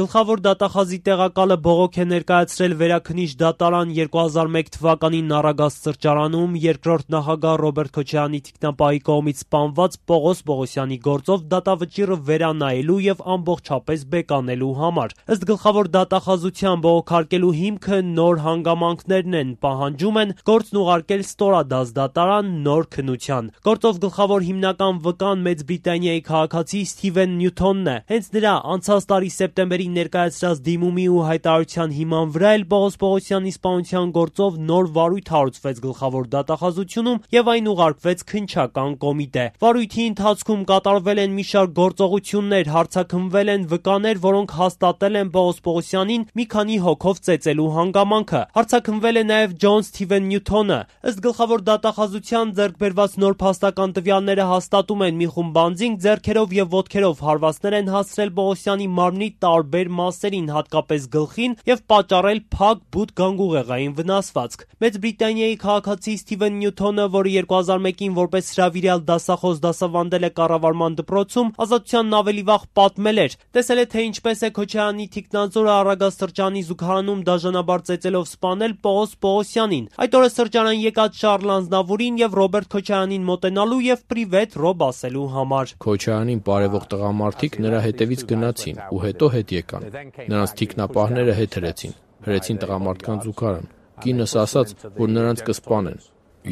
Գլխավոր դատախազի տեղակալը բողոք է ներկայացրել Վերաքննիչ դատարան 2001 թվականին Նարագազ սրճարանում երկրորդ նախագահ Ռոբերտ Քոչարյանի թիկնապահի կողմից սպանված Պողոս Պողոսյանի գործով դատավճիռը վերանայելու եւ ամբողջապես բեկանելու համար։ Ըստ գլխավոր դատախազության բողոքարկելու հիմքը նոր հանգամանքներն են, պահանջում են գործն ուղարկել ստորադաս դատարան նոր քննության։ Գործով գլխավոր հիմնական վկան Մեծ Բրիտանիայի քաղաքացի Սթիվեն Նյութոնն է։ Հենց նրա անցած տարի սեպտեմբերին ներկայացրած դիմումի ու հայտարարության հիման վրա էլ Պողոս Պողոսյանի սպանության գործով նոր վարույթ հարուցվեց գլխավոր դատախազությունում եւ այն ուղարկվեց քննչական կոմիտե։ Վարույթի ընթացքում կատարվել են մի շարք գործողություններ, հարձակումվել են վկաներ, որոնք հաստատել են Պողոս Պողոսյանին մի քանի հոգով ծեծելու հանգամանքը։ Հարձակումվել է նաեւ Ջոն Սթիվեն Նյութոնը։ Ըստ գլխավոր դատախազության ձեռքբերված նոր փաստական տվյալները հաստատում են մի խումբ բանձինք ձեռքերով եւ ոտքերով հարվածներ են հասցրել Պողոսյանի մարմնի տարբեր մասերին, հատկապես գլխին, եւ պատճառել փակ բութ գանգուղեղային վնասվածք։ Մեծ Բրիտանիայի քաղաքացի Սթիվեն Նյութոնը, որը 2001-ին որպես հրավիրյալ դասախոս դասավանդել է կառավարման դպրոցում, ազատությանն ավելի վաղ պատմել էր, տեսել է, թե ինչպես է Քոչարյանի թիկնածորը Արագած սրճարանի զուգարանում դաժանաբար ծեծելով սպանել Պողոս Պողոսյանին։ Այդ օրը սրճարան եկած Շառլ Անձնավուրին եւ Ռոբերտ Քոչարյանին մոտենալու եւ պրիվետ ռոբ ասելու համար։ Քոչարյանին բարևող տղամարդիկ նրա հետևից գնացին ու հետո հետ եկան։ Նրանց թիկնապահները հետ հրեցին տղամարդկանց զուգարան։ Կինս ասաց, որ նրանց կսպանեն։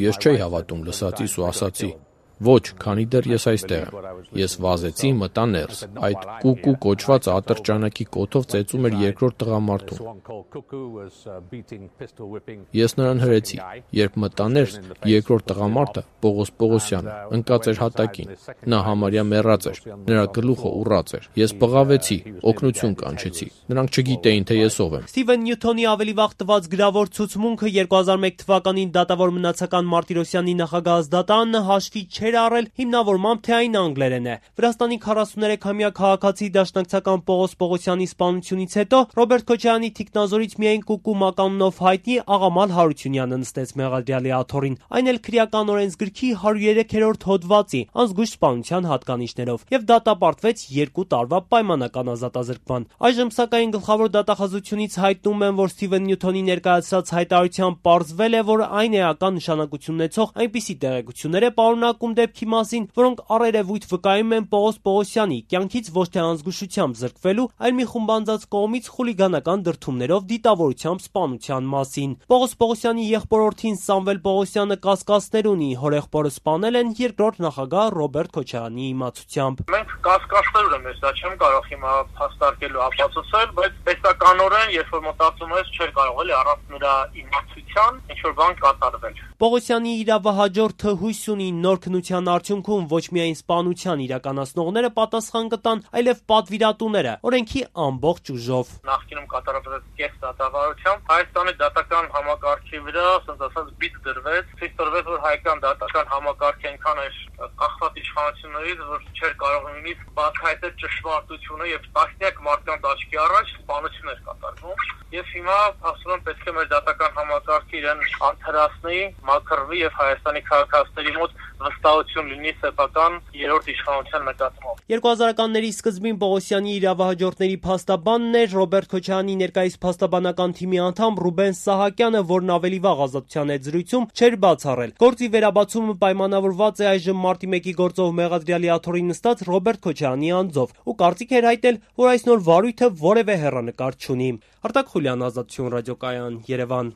Ես չէի հավատում լսածիս ու ասացի. «Ոչ, քանի դեռ ես այստեղ եմ»։ Ես վազեցի, մտա ներս։ Այդ կուկու կոչված ատրճանակի կոթով ծեծում էր երկրորդ տղամարդուն։ Ես նրան հրեցի։ Երբ մտա ներս, երկրորդ տղամարդը, Պողոս Պողոսյանը, ընկած էր հատակին։ Նա համարյա մեռած էր, նրա գլուխը ուռած էր։ Ես բղավեցի, օգնություն կանչեցի։ Նրանք չգիտեին, թե ես ով եմ։ Սթիվեն Նյութոնի ավելի վաղ տված գրավոր ցուցմունքը 2001 թվականին դատավոր մնացական Մարտիրոսյանի նախագահ դատարանը հաշվի չէր առել հիմնավորմամբ, թե այն անգլերեն է։ Վրաստանի 43-ամյա քաղաքացի դաշնակցական Պողոս Պողոսյանի սպանությունից հետո Ռոբերտ Քոչարյանի թիկնազորից միայն կուկու մականունով հայտնի Աղամալ Հարությունյանը նստեց մեղադրյալի աթոռին, այն էլ քրեական օրենսգրքի 103-րդ հոդվածի անզգույշ սպանության հատկանիշներով, եւ դատապարտվեց 2 տարվա պայմանական ազատազրկման։ Այժմ սակայն գլխավոր դատախազությունից հայտնում են, որ Սթիվեն Նյութոնի ներկայացրած հայտարարությամբ պարզվել է, որ այն էական նշանակություն ունեցող այնպիսի տեղեկություններ է պարունակում դեպքի մասին, որոնք առերևույթ վկայում են Պողոս Պողոսյանի կյանքից ոչ թե անզգուշությամբ զրկվելու, այլ մի խումբ անձանց կողմից խուլիգանական դրդումներով դիտավորությամբ սպանության մասին։ Պողոս Պողոսյանի եղբորորդին Սամվել Պողոսյանը կասկածներ ունի, հորեղբորը սպանել են երկրորդ նախագահ Ռոբերտ Քոչարյանի իմացությամբ։ Մենք կասկածներ ունենք, ես դա չեմ կարող հիմա փաստարկելու ապացուցել, բայց պետականորեն, երբ որ մտածում ես, չէր կարող էլի առանց նրա իմացության ինչ-որ բան կատարվել։ Պողոսյանի իրավահաջորդը հույս ունի նոր քննության արդյունքում ոչ միայն սպանության իրականացնողները պատասխան կտան, այլև պատվիրատուները, օրենքի ամբողջ ուժով։ Նախկինում կատարված կես դատավարությամբ Հայաստանի դատական համակարգի վրա, ասած ասած, բիծ դրվեց, ցույց տվեց, որ հայկական դատական համակարգը այնքան էր կախված իշխանություններից, որ չէր կարող նույնիսկ բացահայտել ճշմարտությունը եւ տասնյակ մարդկանց աչքի առաջ սպանություն էր կատարվում։ Եվ հիմա ասում եմ, պետք է մեր դատական համակարգը իրեն արդարացնի, մաքրվի եւ Հայաստանի քաղաքացիների մոտ վստահություն լինի սեփական երրորդ իշխանության նկատմամբ։ 2000-ականների սկզբին Պողոսյանի իրավահաջորդների փաստաբանն էր Ռոբերտ Քոչարյանի ներկայիս փաստաբանական թիմի անդամ Ռուբեն Սահակյանը, որն ավելի վաղ ազատության հետ զրույցում չէր բացառել։ Գործի վերաբացումը պայմանավորված է այժմ մարտի 1-ի գործով մեղադրյալի աթոռի նստած Ռոբերտ Քոչարյանի անձով ու կարծիք էր հայտել, որ այս նոր վարույթը որևէ հեռանկար չունի։ Արտակ Խուլյան, Ազատություն ռադիոկայան, Երևան։